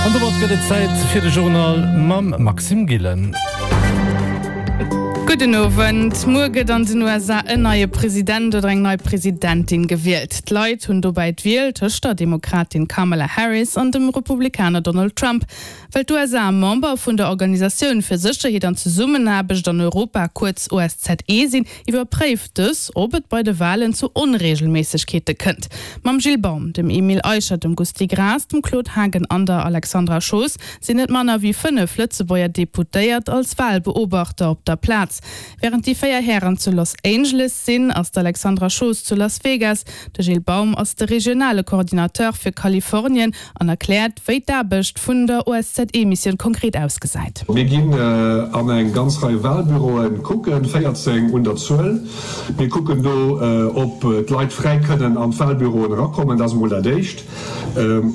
An domat gëtt et Zäit fir de Journal mam Maxime Gillen. Gudden Owend. Muer gëtt an den USA en neie President oder eng nei Presidentin gewielt. D'Leit hunn dobäi d'Wiel tëscht der Demokratin Kamala Harris an dem Republikaner Donald Trump. Well d'USA Member vun der Organisatioun fir Sécherheet an Zesummenaarbecht an Europa, kuerz OSZE, sinn, iwwerpréift dës, ob et bei de Walen zu Onreegelméissegkeete kënnt. Mam Gilles Baum, dem Emile Eicher, dem Gusty Graas, dem Claude Haagen an der Alexandra Schoos sinn net manner wéi 5 Lëtzebuerger Deputéiert als Walbeobachter op der Plaz. Wärend déi 4 Hären zu Los Angeles sinn, ass d'Alexandra Schoos zu Las Vegas. De Gilles Baum ass de regionale Coordinateur fir Kalifornien an erkläert, wéi d'Aarbecht vun der OSZE-Missioun konkret ausgesäit. Mir ginn an eng ganz Rei Walbüroe kucken, 14 un der Zuel. Mir kucken do, ob d'Leit fräi kënnen an d'Walbüroen erakommen, dat ass emol dat Éischt,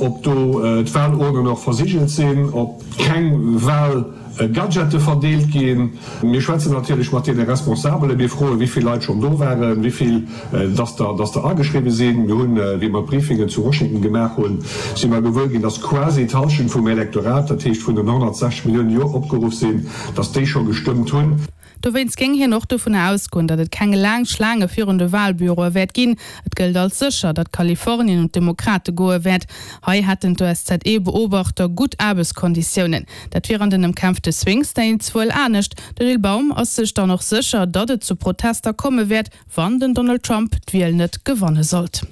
ob do d'Walurnen och versigelt sinn, ob keng Walgadgete verdeelt ginn. Mir schwätzen natierlech mat deene Responsabelen. Mir froen, wéi vill Leit schonn do waren, wéi vill dass der dass der ageschriwwe sinn. Mir hunn, wéi mer d'Briefingen zu Washington gemaach hunn, si mer gewuer ginn, dass quasi d'Hallschent vum Elektorat, dat heescht vun den 160 Milliounen, déi och opgeruff sinn, dass déi scho gestëmmt hunn. Dowéinst géing hien och dovunner ausgoen, datt et keng laang Schlaange virun de Walbüroe wäert ginn. Et gëllt als sécher, datt Kalifornien un d'Demokrate goe wäert. Hei hätten d'OSZE-Beobachter gutt Aarbechtskonditiounen. Dat wier an den ëmkämpfte Swing States wuel anescht. De Gilles Baum ass sech dann och sécher, datt et zu Protester komme wäert, wann den Donald Trump d'Wiel net gewanne sollt.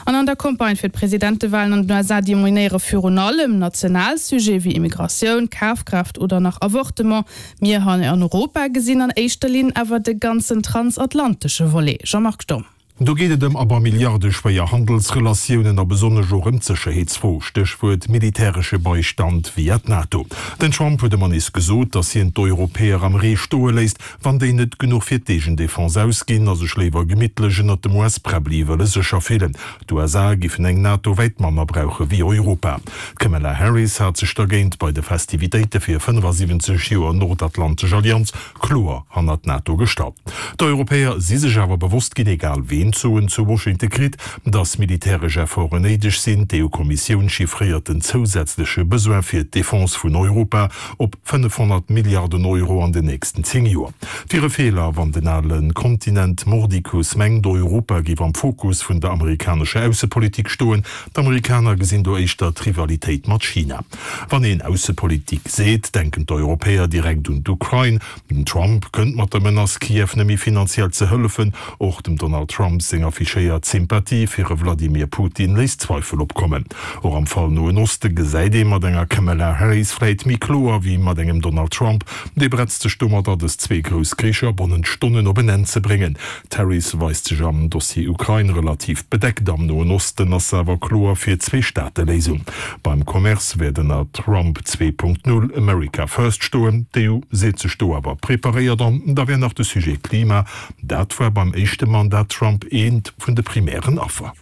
An an der Campagne fir d'Presidentewalen an den USA dominéiere virun allem national Sujete wéi Immigratioun, Kafkraaft oder nach Avortement. Mir hei an Europa gesinn an éischter Linn awer de ganzen transatlantesche Volet. Jean-Marc Sturm. Do geet et ëm awer milliardeschwéier Handelsrelatiounen a besonnesch och ëm d'Sécherheetsfro, Stéchwuert militäresche Beistand via d'NATO. Den Trump huet ëmmer nees gesot, datt hien d'Europäer am Ree stoe léisst, wann déi net genuch fir d'Eegendefense ausginn a sech léiwer gemittlech ënnert dem US-Präbbli wëlle sécher fillen. D'USA giffen eng NATO wäit manner brauche wéi Europa. D'Kamala Harris hat sech dergéint bei de Festivitéite fir 75 Joer Nordatlantesch Allianz kloer hannert d'NATO gestallt. D'Europäer si sech awer bewosst ginn, egal ween d'Soen zu Washington kritt, datt militäresch Efforten néideg sinn. D'EU-Kommissioun chiffréiert den zousätzleche Besoin fir d'Defense vun Europa op 500 Milliarden Euro an den nächsten 10 Joer. Et wier e Feeler, wann den ale Kontinent mordicus mengt, Europa géif am Fokus vun der amerikanescher Aussepolitik stoen. D'Amerikaner gesinn do éischter d'Rivalitéit mat China. Wann een Aussepolitik seet, denken d'Europäer direkt un d'Ukrain. Den Trump kënnt mat der Menace, Kiew net méi finanziell ze hëllefen. Och dem Donald Trump seng affichéiert Sympathie fir e Vladimir Putin léisst Zweifel opkommen. Och am Fall Noen Oste gesäit ee mat enger Kamala Harris vläit méi kloer wéi mat engem Donald Trump. Dee bretzt sech domadder, dës zwee grouss Kricher bannent Stonnen op en Enn ze bréngen. D'Harris weist sech am Dossier Ukrain relativ bedeckt, am Noen Osten ass se awer kloer fir d'Zweestaateléisung. Beim Commerce wäert ënner Trump 2.0 America First stoen. D'EU seet sech do awer preparéiert. An da wär nach de Sujet Klima, dat war beim éischte Mandat Trump eent vun de primären Affer.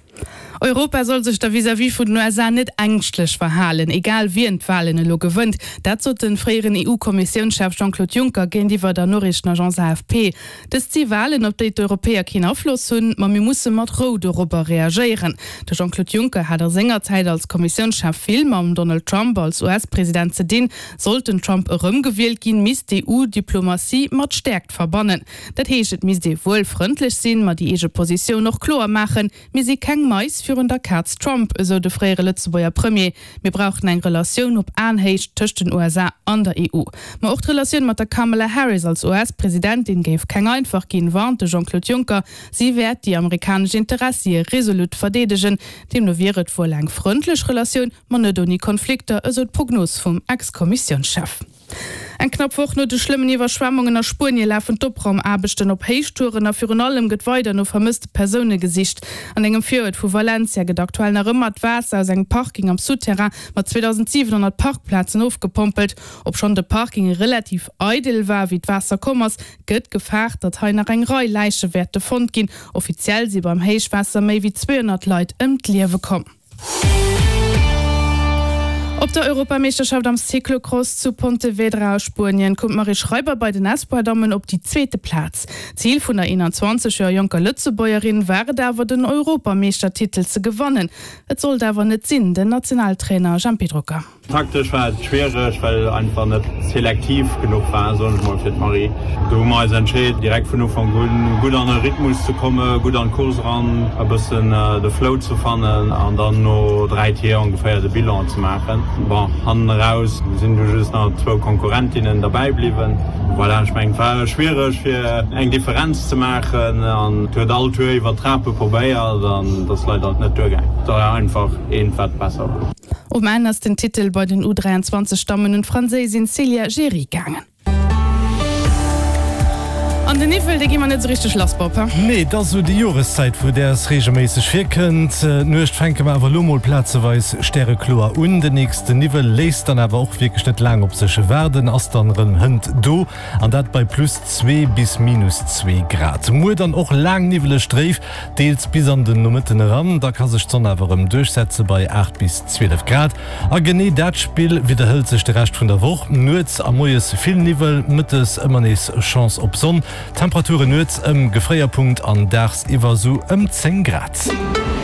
Europa soll sech da vis-à-vis vun den USA net ängschtlech verhalen, egal wien d'Walen elo gewënnt. Dat sot de fréieren EU-Kommissiounschef Jean-Claude Juncker géintiwwer der Noriichtenagence AFP. Dëst si Walen, op déi d'Europäer keen Afloss hunn, ma mir musse mat Rou dorobber reagéieren. De Jean-Claude Juncker hat a senger Zäit als Kommissiounschef vill mam Donald Trump als US-President ze dinn. Sollt den Trump erëmgewielt ginn, misst d'EU d'Diplomatie mat Stäerkt verbannen. Dat heescht, et misst ee wuel frëndlech sinn, ma déi eege Positioun och kloer maachen. Mir si keng Mais virun der Kaz Trump, esou de fréiere Lëtzebuerger Premier. Mir brauchen eng Relatioun op Aenhéicht tëscht den USA an der EU. Ma och d'Relatioun mat der Kamala Harris als US-Presidentin géif keng einfach ginn, warnt de Jean-Claude Juncker. Si wäert déi amerikanesch Interessie resolut verdeedegen. Deemno wier et wuel eng frëndlech Relatioun, ma net ouni Konflikter, esou d'Prognos vum Ex-Kommissiounschef. Eng knapp Woch no de schlëmmen Iwwerschwemmungen a Spuenie lafen d'Opraumaarbechten op Héichtouren a virun allem gëtt weider no vermësste Persoune gesicht. An engem Viruert vu Valencia gëtt aktuell nach ëmmer d'Waasser aus engem Parking am Souterrain mat 2.700 Parkplazen ofgepompelt. Obschonn de Parking relativ eidel war, wéi d'Waasser komm ass, gëtt gefaart, datt hei nach eng Rei Läiche wäerte fonnt ginn. Offiziell si beim Héichwaasser méi wéi 200 Leit ëm d'Liewe komm. Op der Europameeschterschaft am Cyclocross zu Pontevedra a Spuenien koum d'Marie Schreiber bei den Espoir-Dammen op déi zweete Plaz. Zil vun der 21 Joer jonker Lëtzebuergerin war et awer, den Europameeschtertitel ze gewannen. Et sollt awer net sinn, den Nationaltrainer Jempy Drucker. Taktesch war et schwiereg, well einfach net selektiv genuch war, soen ech mol, fir d'Marie. Do hu mer eis entscheet, direkt vun Ufank un gutt an e Rhythmus ze kommen, gutt an d'Course eran, e bëssen de Flow ze fannen an dann no 3 Tier ongeféier de Bilan ze maachen. Bon, hannen eraus sinn du just nach zwou Konkurrentinnen derbäi bliwwen. Voilà, ech mengen, et war schwiereg fir eng Differenz ze maachen an et huet all Tour iwwer d'Trape probéiert an et ass leider net duergaangen. Et war einfach eent, wat besser war. Um Enn ass den Titel bei den U 23 Dammen un d'Franséisin Célia Géry gaangen. An den Niwwel, dee gi mer net esou richteg lass, Bob, he? Nee, et ass esou déi Joreszäit, wou däers reegelméisseg virkënnt. D'Nuecht fänke mer awer elo mol plazeweis stärekloer un. Den nächste Niwwel léisst dann awer och wierklech net laang op sech waarden, ass dann erëm hënt do, an dat bei plus 2 bis minus 2 Grad. Muer dann och laang niwweleg dréif, Deels bis an den Nomëtten eran, da ka sech d'Sonn awer erëm duerchsetze bei 8 bis 12 Grad. A genee dat Spill widderhëlt sech de Rescht vun der Woch, Nuets a moies vill Niwwel, mëttes ëmmer nees Chance op Sonn. Temperature nuets ëm Gefréierpunkt an daagsiwwer sou ëm 10 Grad.